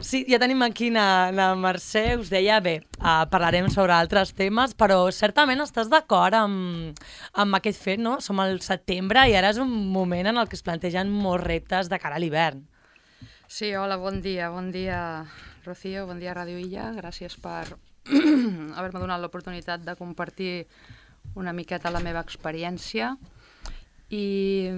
Sí, ja tenim aquí la Mercè, us deia, bé, parlarem sobre altres temes, però certament estàs d'acord amb aquest fet, no? Som al setembre i ara és un moment en el que es plantegen molts reptes de cara a l'hivern. Sí, hola, bon dia, Rocío, bon dia, Ràdio Illa. Gràcies per haver-me donat l'oportunitat de compartir una miqueta la meva experiència. I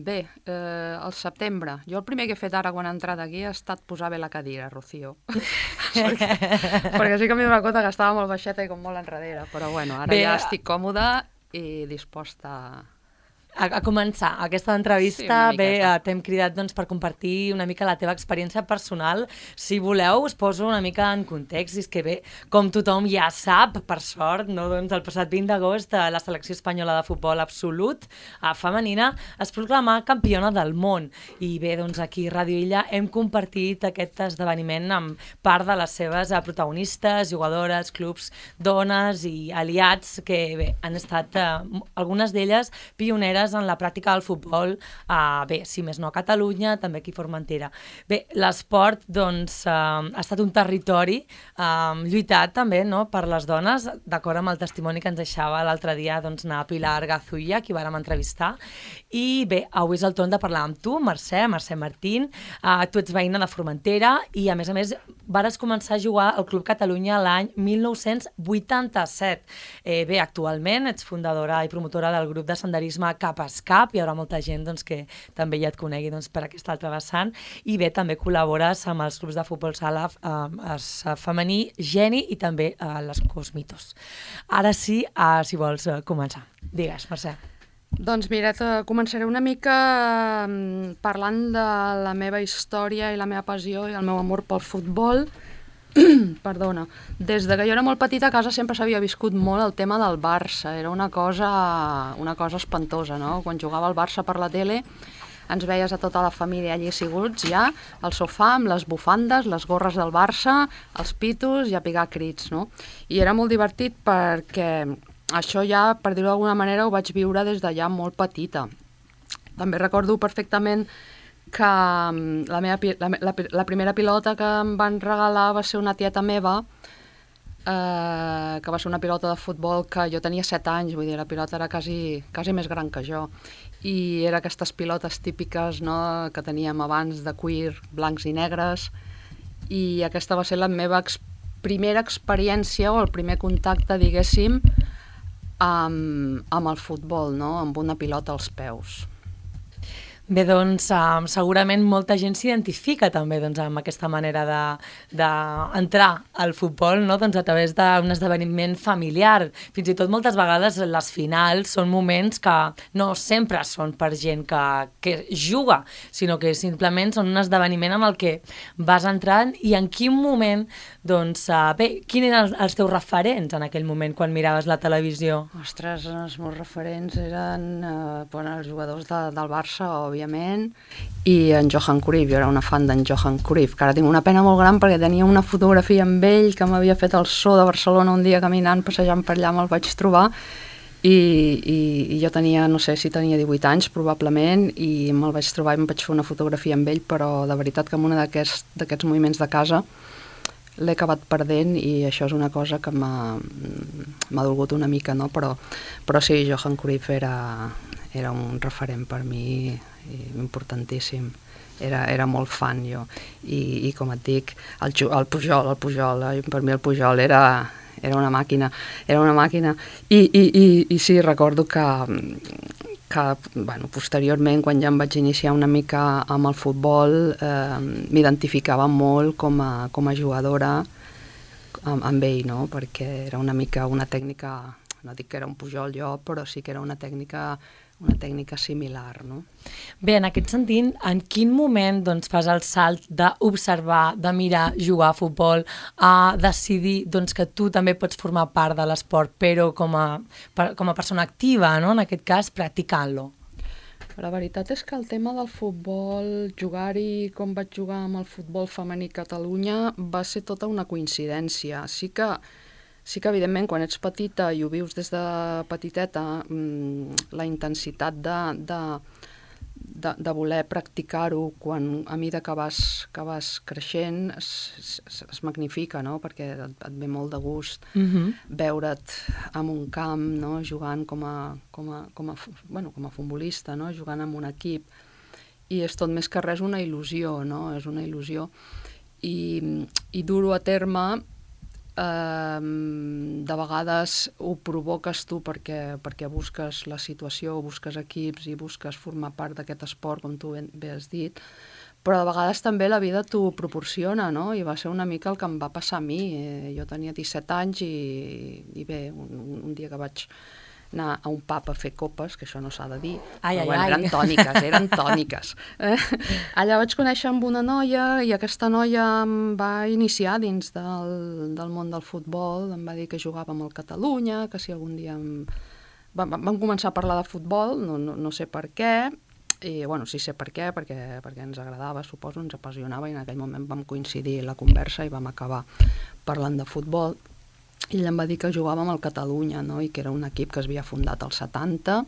bé, al setembre, jo el primer que he fet ara quan he entrat aquí ha estat posar bé la cadira, Rocío. perquè sí que m'he donat compte que estava molt baixeta i com molt enrere, però bueno, ara bé, ja estic còmoda i disposta a començar aquesta entrevista. Sí, bé, t'hem cridat doncs, per compartir una mica la teva experiència personal. Si voleu, us poso una mica en context. I és que bé, com tothom ja sap, per sort, no? Doncs el passat 20 d'agost la selecció espanyola de futbol absolut femenina es proclamà campiona del món. I bé, doncs aquí a Ràdio Illa hem compartit aquest esdeveniment amb part de les seves protagonistes, jugadores, clubs, dones i aliats que bé, han estat algunes d'elles pioneres en la pràctica del futbol, bé, si més no a Catalunya, també aquí a Formentera. Bé, l'esport doncs, ha estat un territori lluitat també, no?, per les dones, d'acord amb el testimoni que ens deixava l'altre dia doncs, anar a Pilar Gazulla, qui vàrem entrevistar. I bé, avui és el torn de parlar amb tu, Mercè Martín. Tu ets veïna de Formentera i a més vares començar a jugar al Club Catalunya l'any 1987. Bé, actualment ets fundadora i promotora del grup de senderisme Cap Escap, hi haurà molta gent doncs, que també ja et conegui doncs, per aquesta altra vessant, i bé, també col·labores amb els clubs de futbol sala femení, Geni i també les Cosmitos. Ara sí, si vols començar. Digues, Mercè. Doncs mira, començaré una mica parlant de la meva història i la meva passió i el meu amor pel futbol. Perdona. Des de que jo era molt petita a casa sempre s'havia viscut molt el tema del Barça. Era una cosa espantosa, no? Quan jugava el Barça per la tele ens veies a tota la família allí asseguts ja al sofà amb les bufandes, les gorres del Barça, els pitos i a picar crits, no? I era molt divertit perquè això ja, per dir-ho d'alguna manera, ho vaig viure des de ja molt petita. També recordo perfectament que la primera pilota que em van regalar va ser una tieta meva, que va ser una pilota de futbol que jo tenia 7 anys, vull dir, la pilota era quasi més gran que jo. I era aquestes pilotes típiques, no?, que teníem abans de cuir, blancs i negres, i aquesta va ser la meva primera experiència o el primer contacte, diguéssim, amb el futbol, no?, amb una pilota als peus. Bé, doncs segurament molta gent s'identifica també doncs, amb aquesta manera d'entrar al futbol, no? Doncs, a través d'un esdeveniment familiar. Fins i tot moltes vegades les finals són moments que no sempre són per gent que juga, sinó que simplement són un esdeveniment en el que vas entrant. I en quin moment, doncs, bé, quins eren els teus referents en aquell moment quan miraves la televisió? Ostres, els meus referents eren els jugadors del Barça, òbviament, i en Johan Cruyff. Jo era una fan d'en Johan Cruyff, que ara tinc una pena molt gran perquè tenia una fotografia amb ell que m'havia fet el zoo de Barcelona un dia caminant, passejant per allà, me'l vaig trobar i jo tenia, no sé si tenia 18 anys probablement, i me'l vaig trobar i em vaig fer una fotografia amb ell, però de veritat que en un d'aquests moviments de casa l'he acabat perdent i això és una cosa que m'ha dolgut una mica, no? Però sí, Johan Cruyff era un referent per mi importantíssim. Era molt fan jo. I com et dic, el Pujol, per mi el Pujol era una màquina. I sí, recordo que posteriorment, quan ja em vaig iniciar una mica amb el futbol, m'identificava molt com a jugadora amb ell, no? Perquè era una mica una tècnica, no dic que era un Pujol jo, però sí que era una tècnica similar, no? Bé, en aquest sentit, en quin moment doncs, fas el salt d'observar, de mirar, jugar a futbol, a decidir doncs, que tu també pots formar part de l'esport, però com a persona activa, no? En aquest cas, practicant-lo? La veritat és que el tema del futbol, jugar-hi com vaig jugar amb el futbol femení a Catalunya, va ser tota una coincidència. Sí que, evidentment, quan ets petita i ho vius des de petiteta, la intensitat de voler practicar-ho quan a mesura que vas creixent es magnifica, no? Perquè et ve molt de gust veure't en un camp, no? Jugant com a futbolista, no? Jugant en un equip, i és tot més que res una il·lusió, no? És una il·lusió, i dur-ho a terme de vegades ho provoques tu perquè busques la situació, busques equips i busques formar part d'aquest esport, com tu bé has dit, però de vegades també la vida t'ho proporciona, no? I va ser una mica el que em va passar a mi. Jo tenia 17 anys i bé, un dia que vaig anar a un pub a fer copes, que això no s'ha de dir, eren tòniques. Allà vaig conèixer amb una noia i aquesta noia em va iniciar dins del món del futbol, em va dir que jugava amb el Catalunya, que si algun dia... Vam començar a parlar de futbol, no sé per què, i bueno, sí sé per què, perquè ens agradava, suposo, ens apassionava, i en aquell moment vam coincidir la conversa i vam acabar parlant de futbol. I ell em va dir que jugava amb el Catalunya, no? I que era un equip que es havia fundat als 70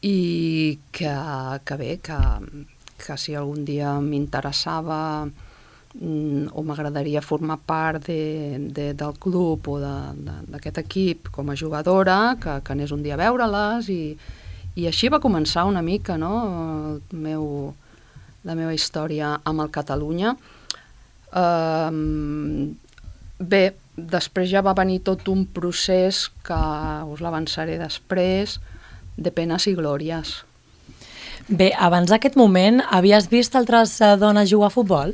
i que bé, que si algun dia m'interessava o m'agradaria formar part del club o d'aquest equip com a jugadora, que anés un dia a veure-les, i així va començar una mica, no? La meva història amb el Catalunya. Bé, després ja va venir tot un procés que us l'avançaré després, de penes i glòries. Bé, abans d'aquest moment, havies vist altres dones jugar a futbol?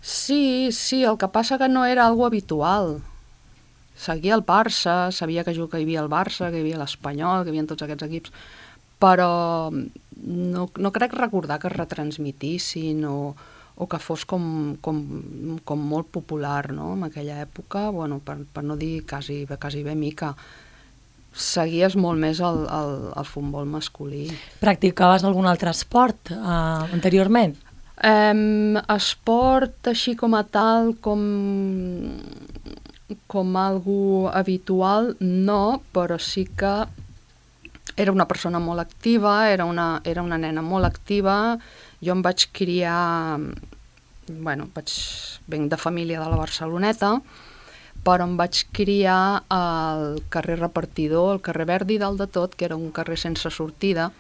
Sí, el que passa que no era algo habitual. Seguia el Barça, sabia que hi havia el Barça, que hi havia l'Espanyol, que hi havia tots aquests equips, però no crec recordar que es retransmitissin o que fos com molt popular, no? En aquella època, bueno, per no dir quasi bé mica, seguies molt més el futbol masculí. Practicaves algun altre esport anteriorment? Esport així com a tal, com algo habitual, no, però sí que era una persona molt activa, era una nena molt activa. Jo em vaig criar, venc de família de la Barceloneta, però em vaig criar al carrer Repartidor, al carrer Verdi dalt de tot, que era un carrer sense sortida,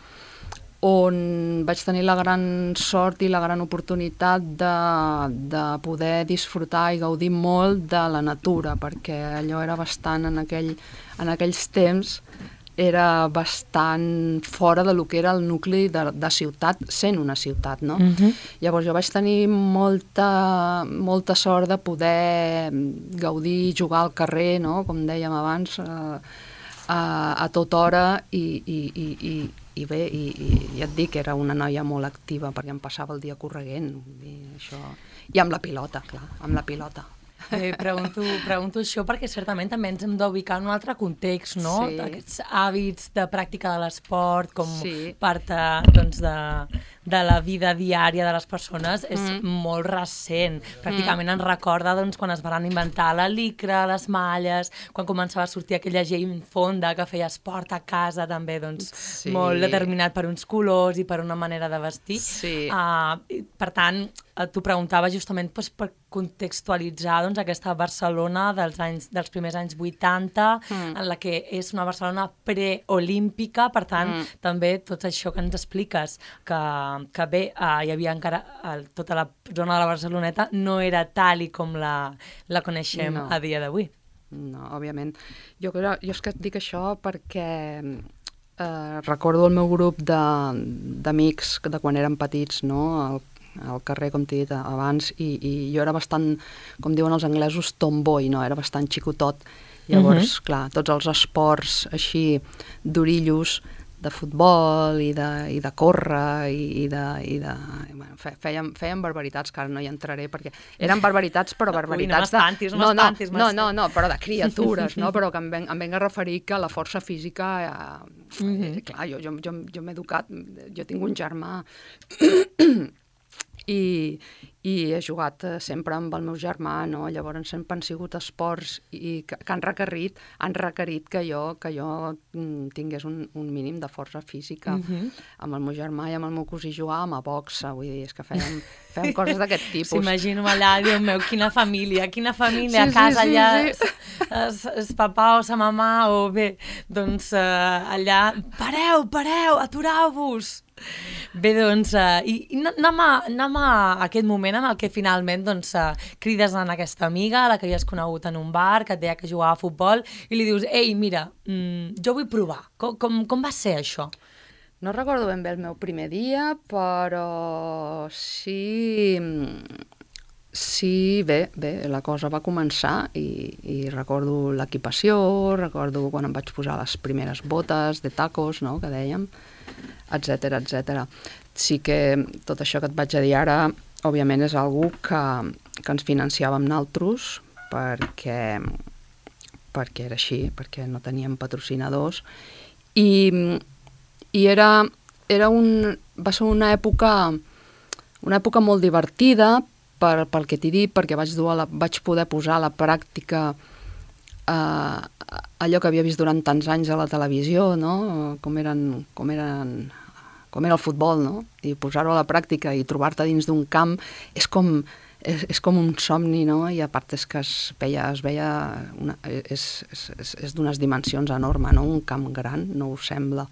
on vaig tenir la gran sort i la gran oportunitat de poder disfrutar i gaudir molt de la natura, perquè allò era bastant, en aquells temps, era bastant fora de lo que era el nucli de ciutat, sent una ciutat, no? Llavors jo vaig tenir molta sort de poder gaudir i jugar al carrer, no? Com dèiem abans, a tota hora, i bé, i et dic, era una noia molt activa, perquè em passava el dia correguent, i amb la pilota, clar, amb la pilota. Pregunto això perquè certament també ens hem d'ubicar en un altre context, no? Sí. Aquests hàbits de pràctica de l'esport com part de la vida diària de les persones és molt recent. Pràcticament ens recorda quan es van inventar la licra, les malles, quan començava a sortir aquella gent fonda que feia esport a casa també, molt determinat per uns colors i per una manera de vestir. Per tant, t'ho preguntava justament per contextualitzar aquesta Barcelona dels primers anys 80, en la que és una Barcelona preolímpica, per tant, també tot això que ens expliques, que bé, hi havia encara tota la zona de la Barceloneta, no era tal i com la coneixem a dia d'avui. No, òbviament. Jo és que et dic això perquè recordo el meu grup d'amics de quan érem petits, no?, al carrer, com t'he dit abans, i jo era bastant, com diuen els anglesos, tomboy, no? Era bastant xicotot. Llavors, clar, tots els esports així d'orillos, de futbol i de córrer feien barbaritats, que ara no hi entraré, perquè eren barbaritats, però barbaritats no, però de criatures, no? Però que em venc a referir que la força física, clar, jo m'he educat, jo tinc un germà i i he jugat sempre amb el meu germà, no? Llavors sempre han sigut esports que han requerit que jo tingués un mínim de força física. Amb el meu germà i amb el meu cosí jugàvem a boxa, vull dir, és que fèiem coses d'aquest tipus. S'imagino allà, Déu meu, quina família, a casa allà, es papà o sa mamà, o bé, doncs allà, pareu, atureu-vos! Bé, doncs, i anem a aquest moment en el que finalment crides en aquesta amiga, la que havies conegut en un bar, que et deia que jugava a futbol, i li dius, ei, mira, jo vull provar. Com va ser això? No recordo ben bé el meu primer dia, però sí, bé, la cosa va començar i recordo l'equipació, recordo quan em vaig posar les primeres botes de tacos, no?, que dèiem, etcètera. Sí que tot això que et vaig a dir ara, òbviament és algú que ens financiàvem nosaltres perquè era així, perquè no teníem patrocinadors i va ser una època molt divertida pel que t'he dit, perquè vaig poder posar a la pràctica allò que havia vist durant tants anys a la televisió, no? Com era el futbol, no? I posar-ho a la pràctica i trobar-te dins d'un camp és com un somni, no? I a part és que és d'unes dimensions enormes, no? Un camp gran, no ho sembla,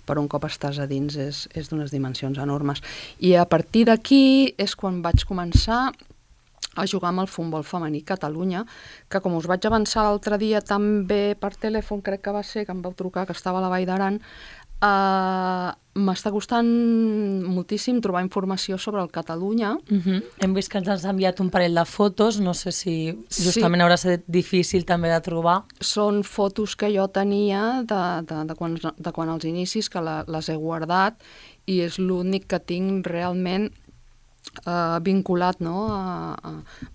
però un cop estàs a dins és d'unes dimensions enormes. I a partir d'aquí és quan vaig començar a jugar amb el futbol femení a Catalunya, que com us vaig avançar l'altre dia també per telèfon, crec que va ser, que em vau trucar, que estava a la Vall d'Aran, m'està costant moltíssim trobar informació sobre el Catalunya. Hem vist que ens has enviat un parell de fotos, no sé si justament haurà estat difícil també de trobar. Són fotos que jo tenia de quan als inicis, que les he guardat, i és l'únic que tinc realment vinculat, no?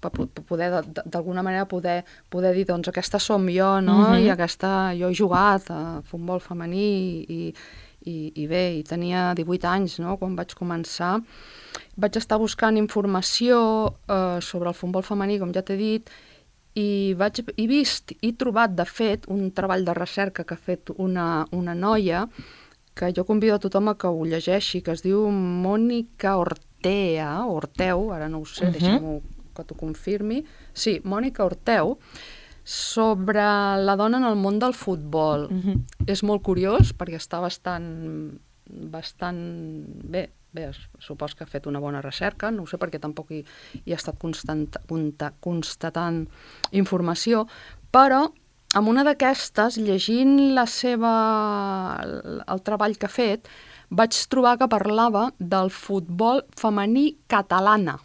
Per poder, d'alguna manera, poder dir, doncs, aquesta som jo, no? I aquesta, jo he jugat a futbol femení i bé, i tenia 18 anys, no?, quan vaig començar. Vaig estar buscant informació sobre el futbol femení, com ja t'he dit, i he trobat, de fet, un treball de recerca que ha fet una noia, que jo convido a tothom a que ho llegeixi, que es diu Mònica Orteu, ara no ho sé, deixa'm que t'ho confirmi. Sí, Mònica Orteu, sobre la dona en el món del futbol. És molt curiós, perquè està bastant bé, supos que ha fet una bona recerca, no ho sé perquè tampoc hi ha estat constatant informació, però amb una d'aquestes, llegint el treball que ha fet, vaig trobar que parlava del futbol femení catalana,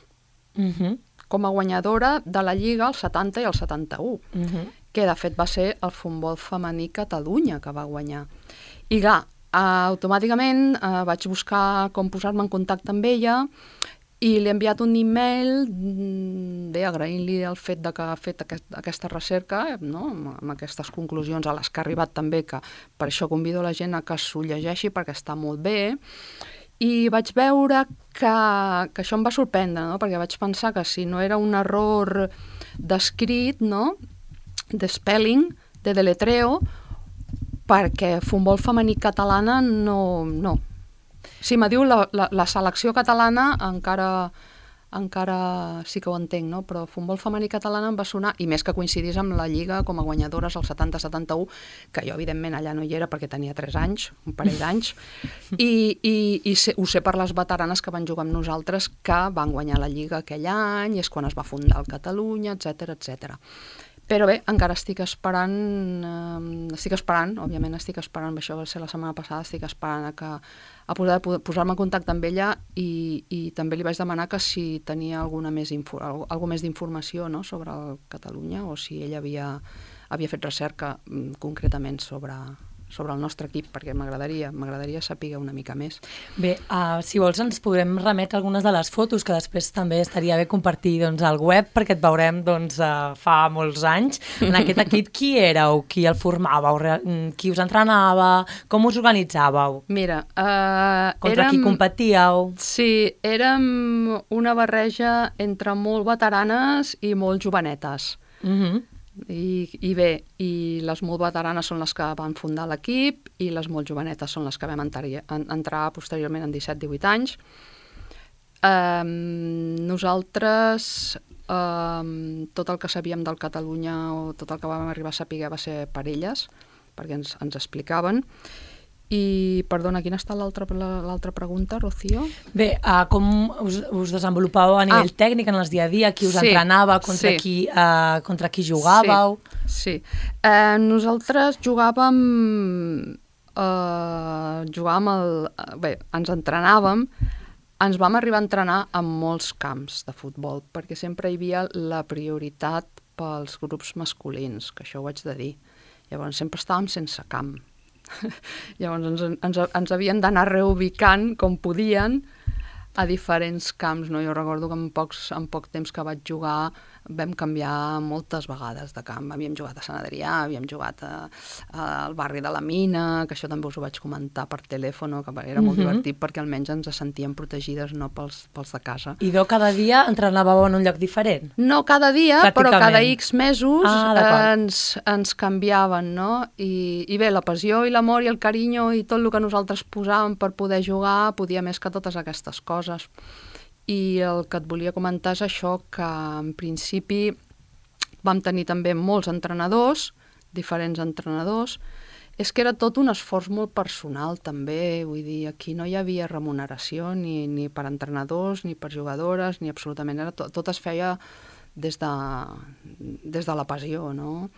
com a guanyadora de la Lliga el 70 i el 71, que de fet va ser el futbol femení Catalunya que va guanyar. I clar, automàticament vaig buscar com posar-me en contacte amb ella i li he enviat un email agraint-li el fet que ha fet aquesta recerca, no?, amb aquestes conclusions a les que ha arribat també, que per això convido la gent a que s'ho llegeixi perquè està molt bé. I vaig veure que això em va sorprendre, no?, perquè vaig pensar que si no era un error d'escrit, no?, de spelling, de deletreo, perquè futbol femení catalana no. Si me diu la selecció catalana encara sí que ho entenc, no? Però futbol femení catalana em va sonar, i més que coincidís amb la Lliga com a guanyadores al 70-71, que jo evidentment allà no hi era perquè tenia 3 anys, un parell d'anys, i ho sé per les veteranes que van jugar amb nosaltres, que van guanyar la Lliga aquell any, i és quan es va fundar el Catalunya, etcètera. Però bé, encara estic esperant, òbviament estic esperant, això va ser la setmana passada, estic esperant a poder posar-me en contacte amb ella i també li vaig demanar que si tenia alguna més d'informació, no?, sobre el Catalunya, o si ella havia fet recerca concretament sobre sobre el nostre equip, perquè m'agradaria saber una mica més. Bé, si vols ens podrem remetre algunes de les fotos, que després també estaria bé compartir al web, perquè et veurem fa molts anys. En aquest equip qui éreu? Qui el formàveu? Qui us entrenava? Com us organitzàveu? Mira, contra qui competíeu? Sí, érem una barreja entre molt veteranes i molt jovenetes. I bé, i les molt veteranes són les que van fundar l'equip i les molt jovenetes són les que vam entrar posteriorment en 17-18 anys. Nosaltres, tot el que sabíem del Catalunya o tot el que vam arribar a saber va ser per elles, perquè ens explicaven. I, perdona, quina està l'altra pregunta, Rocío? Bé, com us desenvolupàveu a nivell tècnic en el dia a dia? Qui us entrenava? Contra qui jugàveu? Sí. Nosaltres jugàvem ens entrenàvem, ens vam arribar a entrenar en molts camps de futbol, perquè sempre hi havia la prioritat pels grups masculins, que això ho haig de dir. Llavors sempre estàvem sense camp. Llavors ens havien d'anar reubicant com podien a diferents camps, no? Jo recordo que en poc temps que vaig jugar vam canviar moltes vegades de camp. Havíem jugat a Sant Adrià, havíem jugat al barri de la Mina, que això també us ho vaig comentar per telèfon, que era molt divertit perquè almenys ens sentíem protegides, no pels de casa. I cada dia entrenàveu en un lloc diferent? No cada dia, però cada X mesos ens canviaven, no? I bé, la passió i l'amor i el carinyo i tot el que nosaltres posàvem per poder jugar podia més que totes aquestes coses. I el que et volia comentar és això, que en principi vam tenir també molts entrenadors, diferents entrenadors. És que era tot un esforç molt personal també, vull dir, aquí no hi havia remuneració ni per entrenadors, ni per jugadores, ni absolutament, tot es feia des de la passió, no?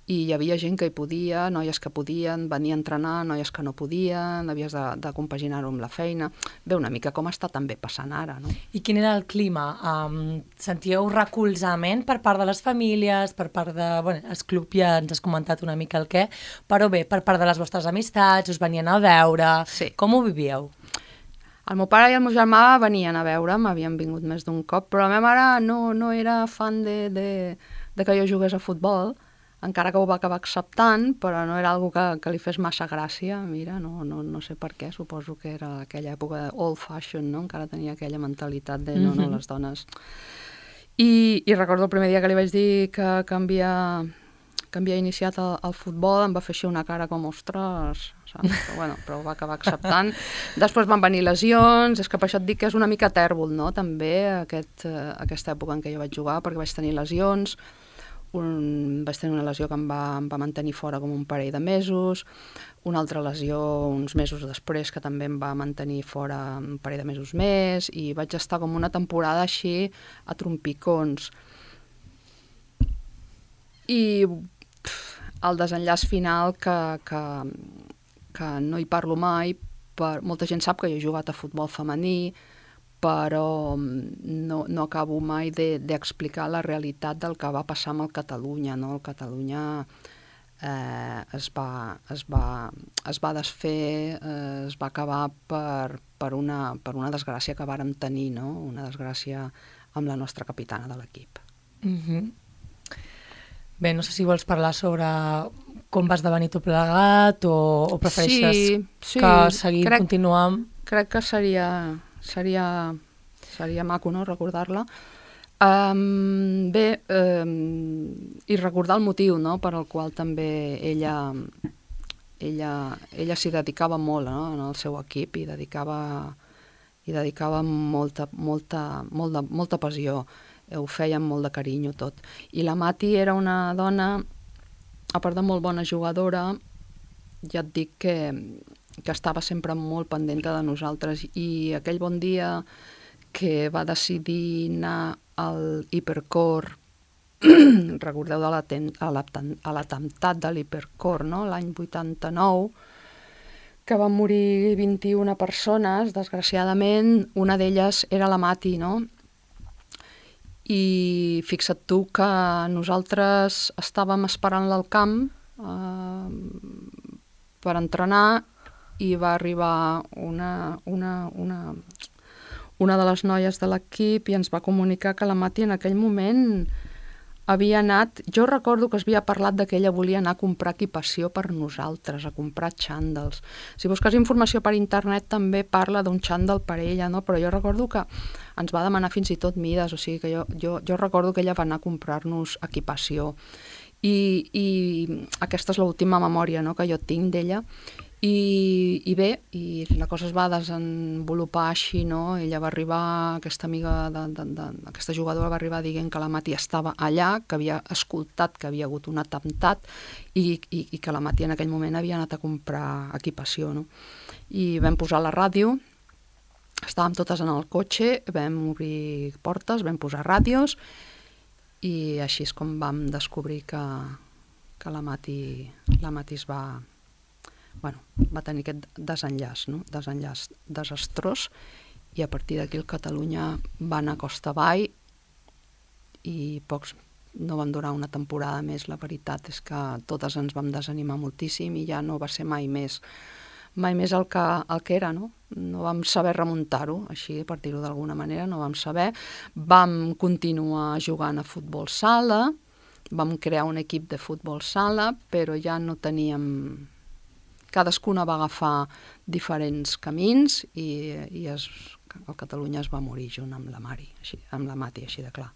I hi havia gent que hi podia, noies que podien venir a entrenar, noies que no podien, havies de compaginar-ho amb la feina. Bé, una mica com està també passant ara, no? I quin era el clima? Sentíeu recolzament per part de les famílies, per part de... Bueno, el club ja ens has comentat una mica el què, però bé, per part de les vostres amistats, us venien a veure... Sí. Com ho vivíeu? El meu pare i el meu germà venien a veure'm, havien vingut més d'un cop, però la meva mare no era fan de que jo jugués a futbol, encara que ho va acabar acceptant, però no era algo que li fes massa gràcia. Mira, no sé per què, suposo que era aquella època old fashion, no? Encara tenia aquella mentalitat de no, les dones. I recordo el primer dia que li vaig dir que havia iniciat el futbol, em va fer així una cara com, ostres, saps? Però ho va acabar acceptant. Després van venir lesions, és que per això et dic que és una mica tèrbol, no? També aquesta època en què jo vaig jugar, perquè vaig tenir lesions, vaig tenir una lesió que em va mantenir fora com un parell de mesos, una altra lesió uns mesos després que també em va mantenir fora un parell de mesos més, i vaig estar com una temporada així a trompicons. I el desenllaç final que no hi parlo mai, molta gent sap que jo he jugat a futbol femení, però no acabo mai d'explicar la realitat del que va passar amb el Catalunya, no? El Catalunya es va desfer, es va acabar per una desgràcia que vàrem tenir, no? Una desgràcia amb la nostra capitana de l'equip. Bé, no sé si vols parlar sobre com va esdevenir tot plegat o prefereixes que seguir continuant. Crec que seria maco, no?, recordar-la. Bé, i recordar el motiu, no?, per al qual també ella s'hi dedicava molt, no?, en el seu equip, i dedicava molta passió. Ho feia amb molt de carinyo tot. I la Mati era una dona, a part de molt bona jugadora, ja et dic que estava sempre molt pendent de nosaltres, i aquell bon dia que va decidir anar al Hipercor, recordeu de l'atemptat de l'Hipercor, no?, l'any 89, que van morir 21 persones, desgraciadament, una d'elles era la Mati, no?, i fixa't tu que nosaltres estàvem esperant-la al camp, per entrenar i va arribar una de les noies de l'equip i ens va comunicar que la Mati en aquell moment havia anat... Jo recordo que es havia parlat que ella volia anar a comprar equipació per nosaltres, a comprar xàndals. Si busques informació per internet també parla d'un xàndal per ella, no? Però jo recordo que ens va demanar fins i tot mides, o sigui que jo recordo que ella va anar a comprar-nos equipació. I aquesta és l'última memòria, no?, que jo tinc d'ella. I bé, i la cosa es va desenvolupar així, no? Ella va arribar, aquesta amiga aquesta jugadora va arribar dient que la Mati estava allà, que havia escoltat que havia hagut un atemptat i que la Mati en aquell moment havia anat a comprar equipació, no? I vam posar la ràdio, estàvem totes en el cotxe, vam obrir portes, vam posar ràdios i així és com vam descobrir que la Mati es va... Bueno, va tenir aquest desenllaç, no? Desenllaç desastrós, i a partir d'aquí el Catalunya va anar costa avall i pocs no van durar una temporada més. La veritat és que totes ens vam desanimar moltíssim i ja no va ser mai més el que era, no? No vam saber remuntar-ho, així, per dir-ho d'alguna manera, no vam saber. Vam continuar jugant a futbol sala, vam crear un equip de futbol sala, però ja no teníem... Cadascuna va agafar diferents camins i el Catalunya es va morir junt amb la Mati, així de clar.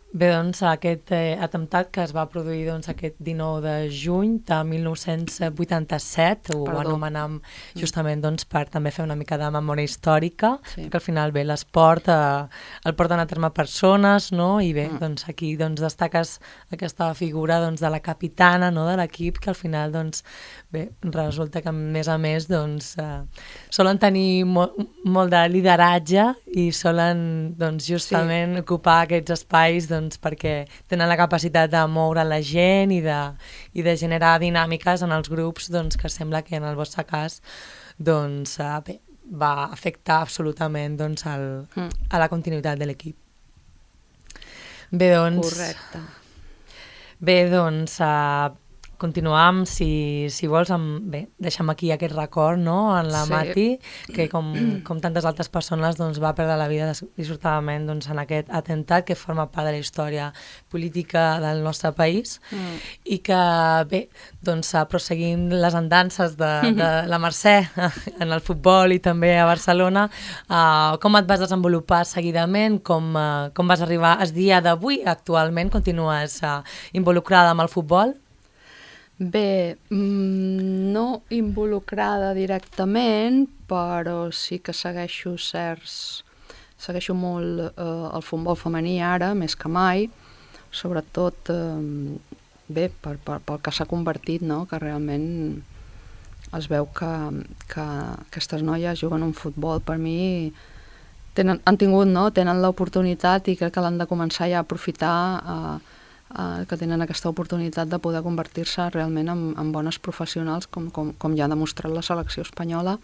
Bé, doncs, aquest atemptat que es va produir aquest 19 de juny de 1987, ho anomenem justament per també fer una mica de memòria històrica, perquè al final bé, l'esport el porten a terme persones, no? I bé, doncs aquí destaques aquesta figura de la capitana, no?, de l'equip, que al final bé, resulta que a més solen tenir molt de lideratge i solen justament ocupar aquests espais perquè tenen la capacitat de moure la gent i de generar dinàmiques en els grups que sembla que en el vostre cas bé, va afectar absolutament a la continuïtat de l'equip. Bé, correcte. Bé, continuam, si vols, bé, deixem aquí aquest record, no?, en la Mati, que com tantes altres persones va perdre la vida dissortadament en aquest atemptat que forma part de la història política del nostre país i que, bé, prosseguint les andances de la Mercè en el futbol i també a Barcelona, com et vas desenvolupar seguidament, com vas arribar al dia d'avui? Actualment continues involucrada amb el futbol? Bé, no involucrada directament, però sí que segueixo molt el futbol femení ara, més que mai, sobretot bé, pel que s'ha convertit, no?, que realment es veu que aquestes noies juguen un futbol, per mi tenen l'oportunitat i crec que l'han de començar ja a aprofitar, que tenen aquesta oportunitat de poder convertir-se realment en bones professionals, com ja ha demostrat la selecció espanyola,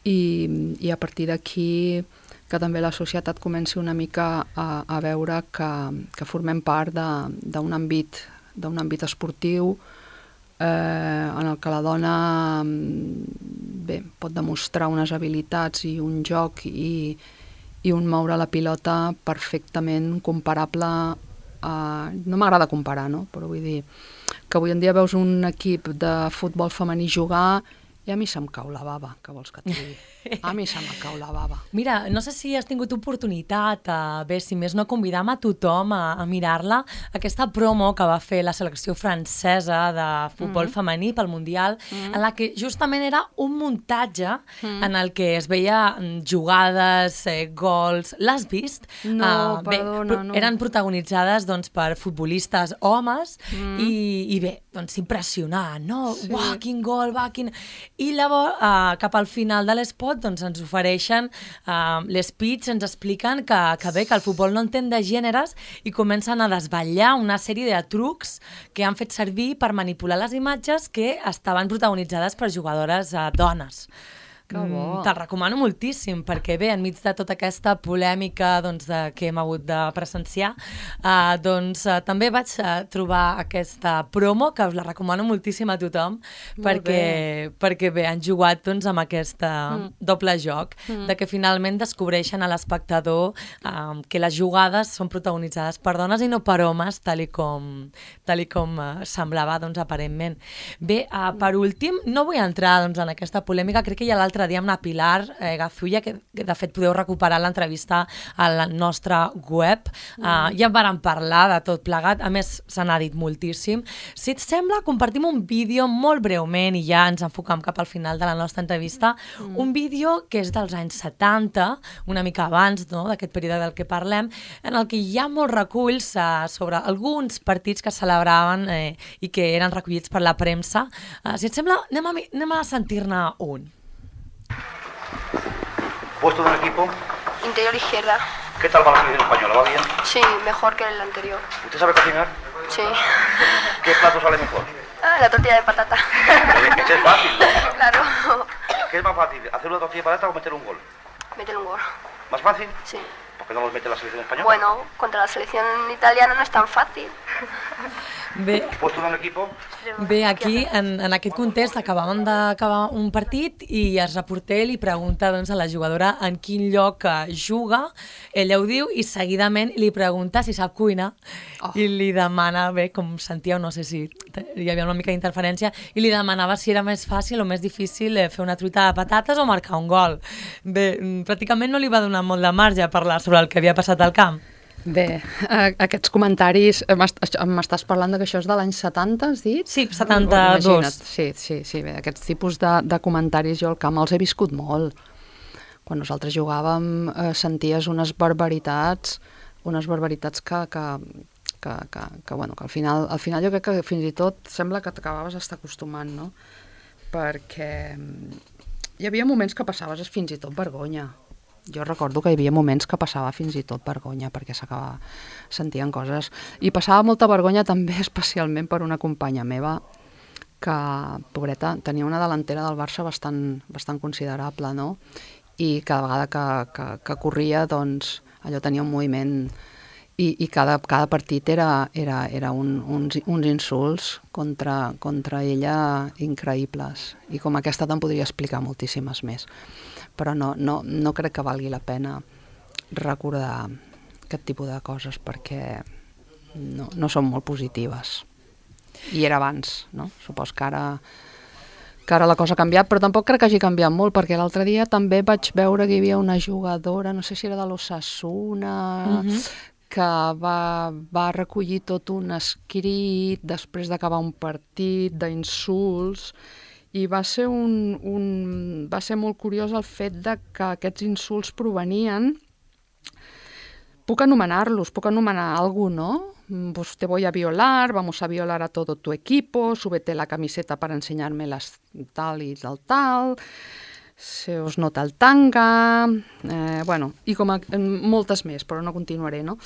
i a partir d'aquí que també la societat comenci una mica a veure que formem part d'un àmbit esportiu en el que la dona bé, pot demostrar unes habilitats i un joc i un moure la pilota perfectament comparable no m'agrada comparar, no? Però vull dir que avui en dia veus un equip de futbol femení jugar i a mi se'm cau la bava, què vols que et digui? A mi se'm cau la bava. Mira, no sé si has tingut oportunitat, bé, si més no, convidam a tothom a mirar-la, aquesta promo que va fer la selecció francesa de futbol femení pel Mundial, en la que justament era un muntatge en el que es veia jugades, gols... L'has vist? No, perdona, no. Eren protagonitzades per futbolistes homes i bé, impressionant, no? Sí. Uau, quin gol, va, quin... I llavors, cap al final de l'espot, ens ofereixen l'speech, ens expliquen que bé, que el futbol no entén de gèneres i comencen a desvetllar una sèrie de trucs que han fet servir per manipular les imatges que estaven protagonitzades per jugadores dones. Te'l recomano moltíssim, perquè bé, enmig de tota aquesta polèmica que hem hagut de presenciar, també vaig trobar aquesta promo, que us la recomano moltíssim a tothom, perquè bé, han jugat amb aquest doble joc, de que finalment descobreixen a l'espectador que les jugades són protagonitzades per dones i no per homes, tal i com semblava, aparentment. Bé, per últim, no vull entrar en aquesta polèmica, crec que ja l'altre dia amb la Pilar Gazulla, que de fet podeu recuperar l'entrevista a la nostra web, ja en vàrem parlar de tot plegat, a més se n'ha dit moltíssim. Si et sembla, compartim un vídeo molt breument i ja ens enfocam cap al final de la nostra entrevista, un vídeo que és dels anys 70, una mica abans d'aquest període del que parlem, en el que hi ha molts reculls sobre alguns partits que celebraven i que eren recollits per la premsa. Si et sembla, anem a sentir-ne un. ¿Puesto de un equipo? Interior izquierda. ¿Qué tal va la selección española? ¿Va bien? Sí, mejor que el anterior. ¿Usted sabe cocinar? Sí. ¿Qué plato sale mejor? La tortilla de patata. Ese es fácil, ¿no? Claro. ¿Qué es más fácil, hacer una tortilla de patata o meter un gol? Meter un gol. ¿Más fácil? Sí. ¿Por qué no los mete la selección española? Bueno, contra la selección italiana no es tan fácil. Bé, ¿Puesto de un equipo? Bé, aquí, en aquest context, acabàvem d'acabar un partit i el reporter li pregunta a la jugadora en quin lloc juga, ella ho diu i seguidament li pregunta si sap cuinar i li demana, bé, com sentíeu, no sé si hi havia una mica d'interferència, i li demanava si era més fàcil o més difícil fer una truita de patates o marcar un gol. Bé, pràcticament no li va donar molt de marge a parlar sobre el que havia passat al camp. Bé, aquests comentaris, m'estàs parlant que això és de l'any 70, has dit? Sí, 72. Sí, bé, aquests tipus de comentaris jo al camp els he viscut molt. Quan nosaltres jugàvem senties unes barbaritats que al final jo crec que fins i tot sembla que t'acabaves estar acostumant, no? Perquè hi havia moments que passaves fins i tot vergonya. Jo recordo que hi havia moments que passava fins i tot vergonya perquè sentien coses. I passava molta vergonya també especialment per una companya meva que, pobreta, tenia una delantera del Barça bastant considerable, no? I cada vegada que corria, doncs, allò tenia un moviment i cada partit era uns insults contra ella increïbles. I com aquesta te'n podria explicar moltíssimes més. Però no crec que valgui la pena recordar aquest tipus de coses perquè no són molt positives. I era abans, no? Supos que ara la cosa ha canviat, però tampoc crec que hagi canviat molt, perquè l'altre dia també vaig veure que hi havia una jugadora, no sé si era de l'Osasuna, que va recollir tot un escrit després d'acabar un partit d'insults. I va ser molt curiós el fet de que aquests insults provenien, puc anomenar algú, ¿no? Pues te voy a violar, vamos a violar a todo tu equipo, súbete la camiseta para enseñarme las tal y tal, se os nota el tanga, i com moltes més, però no continuaré, no?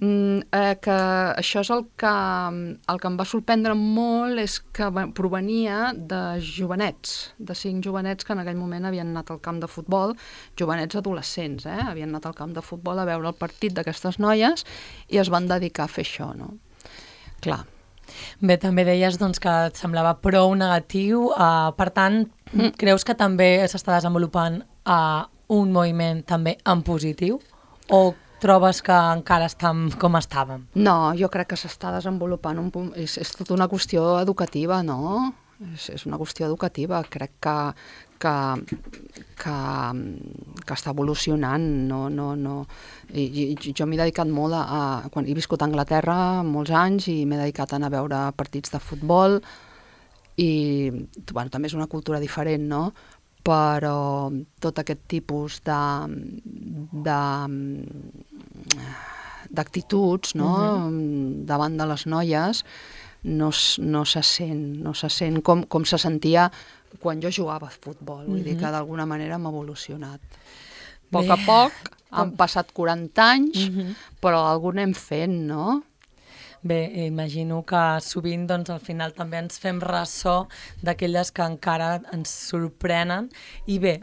Que això és el que em va sorprendre molt, és que provenia de jovenets, de 5 jovenets que en aquell moment havien anat al camp de futbol, jovenets adolescents, havien anat al camp de futbol a veure el partit d'aquestes noies i es van dedicar a fer això, no? Clar. Bé, també deies que et semblava prou negatiu, per tant, creus que també s'està desenvolupant un moviment també en positiu? O trobes que encara estem com estàvem? No, jo crec que s'està desenvolupant és tota una qüestió educativa, no? És una qüestió educativa. Crec que està evolucionant. Jo m'he dedicat molt quan he viscut a Anglaterra molts anys i m'he dedicat a anar a veure partits de futbol i també és una cultura diferent, no? Però tot aquest tipus d'actituds, no? Davant de les noies no se sent com se sentia quan jo jugava a futbol. Vull dir que d'alguna manera hem evolucionat. A poc han passat 40 anys, però algun hem fet, no? Bé, imagino que sovint doncs, al final també ens fem ressò d'aquelles que encara ens sorprenen i bé,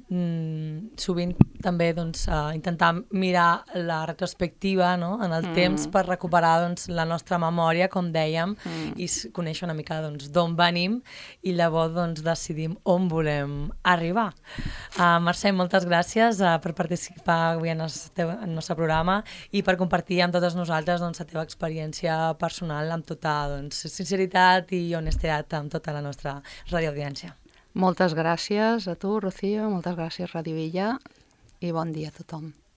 sovint també doncs, intentar mirar la retrospectiva, no? En el temps per recuperar doncs, la nostra memòria, com dèiem, i conèixer una mica doncs, d'on venim i llavors doncs, decidim on volem arribar. Mercè, moltes gràcies per participar avui en el nostre programa i per compartir amb totes nosaltres doncs, la teva experiència personal amb tota doncs, sinceritat i honestedat amb tota la nostra radioaudiència. Moltes gràcies a tu, Rocío, moltes gràcies, Ràdio Illa, i bon dia a tothom.